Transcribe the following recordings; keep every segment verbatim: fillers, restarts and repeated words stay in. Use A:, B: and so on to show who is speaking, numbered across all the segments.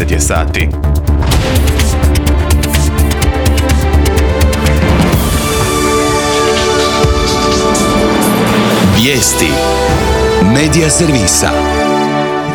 A: deset je sati.
B: Vijesti Medija servisa.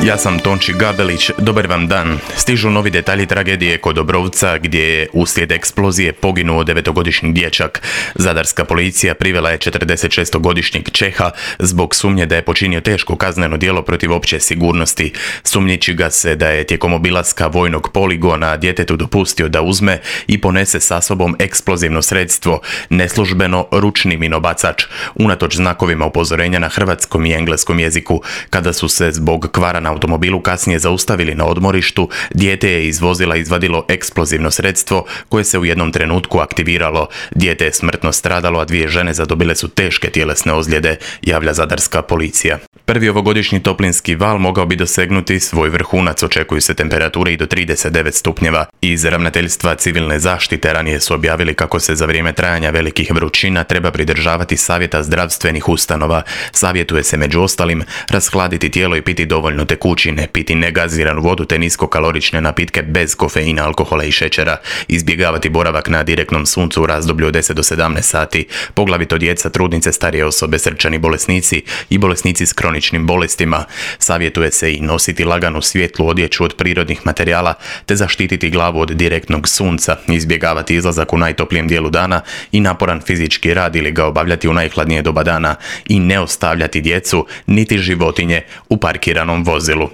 A: Ja sam Tonči Gabelić, dobar vam dan. Stižu novi detalji tragedije kod Obrovca gdje je uslijed eksplozije poginuo devetogodišnji dječak. Zadarska policija privela je četrdesetšestogodišnjeg Čeha zbog sumnje da je počinio teško kazneno djelo protiv opće sigurnosti. Sumnjiči ga se da je tijekom obilaska vojnog poligona djetetu dopustio da uzme i ponese sa sobom eksplozivno sredstvo, neslužbeno ručni minobacač, unatoč znakovima upozorenja na hrvatskom i engleskom jeziku. Kada su se zbog kvara na automobilu kasnije zaustavili na odmorištu, dijete je iz vozila izvadilo eksplozivno sredstvo koje se u jednom trenutku aktiviralo. Dijete je smrtno stradalo, a dvije žene zadobile su teške tjelesne ozljede, javlja zadarska policija. Prvi ovogodišnji toplinski val mogao bi dosegnuti svoj vrhunac, očekuju se temperature i do trideset devet stupnjeva. Iz ravnateljstva civilne zaštite ranije su objavili kako se za vrijeme trajanja velikih vrućina treba pridržavati savjeta zdravstvenih ustanova. Savjetuje se među ostalim rashladiti tijelo i piti dovoljno tekućine, piti negaziranu vodu te niskokalorične napitke bez kofeina, alkohola i šećera, izbjegavati boravak na direktnom suncu u razdoblju od deset do sedamnaest sati, poglavito djeca, trudnice, starije osobe, srčani bolesnici i bolesnici s kroničnim bolestima. Savjetuje se i nositi laganu svjetlu odjeću od prirodnih materijala te zaštititi glavu od direktnog sunca, izbjegavati izlazak u najtoplijem dijelu dana i naporan fizički rad ili ga obavljati u najhladnije doba dana i ne ostavljati djecu niti životinje u parkiranom vozilu.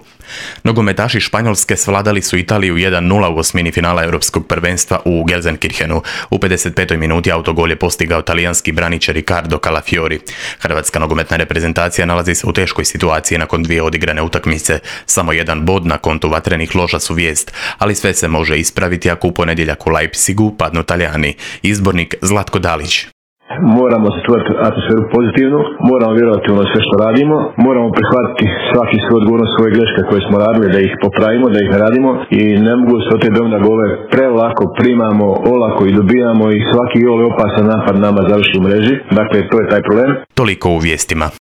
A: Nogometaši Španjolske svladali su Italiju jedan nula u osmini finala Europskog prvenstva u Gelsenkirchenu. U pedeset petoj minuti autogol je postigao talijanski braničar Riccardo Calafiori. Hrvatska nogometna reprezentacija nalazi se u teškoj situaciji nakon dvije odigrane utakmice. Samo jedan bod na kontu vatrenih loža su vijest, ali sve se može ispraviti ako u ponedjeljak u Leipzigu padnu Talijani. Izbornik Zlatko Dalić.
C: Moramo stvoriti atmosferu pozitivnu, moramo vjerovati u ono sve što radimo, moramo prihvatiti svaki svoj odgovornost, svoje greške koje smo radili, da ih popravimo, da ih ne radimo i ne mogu se od te da gole prelako primamo, olako i dobijamo i svaki gol je opasan napad nama završi u mreži, dakle to je taj problem.
A: Toliko u vijestima.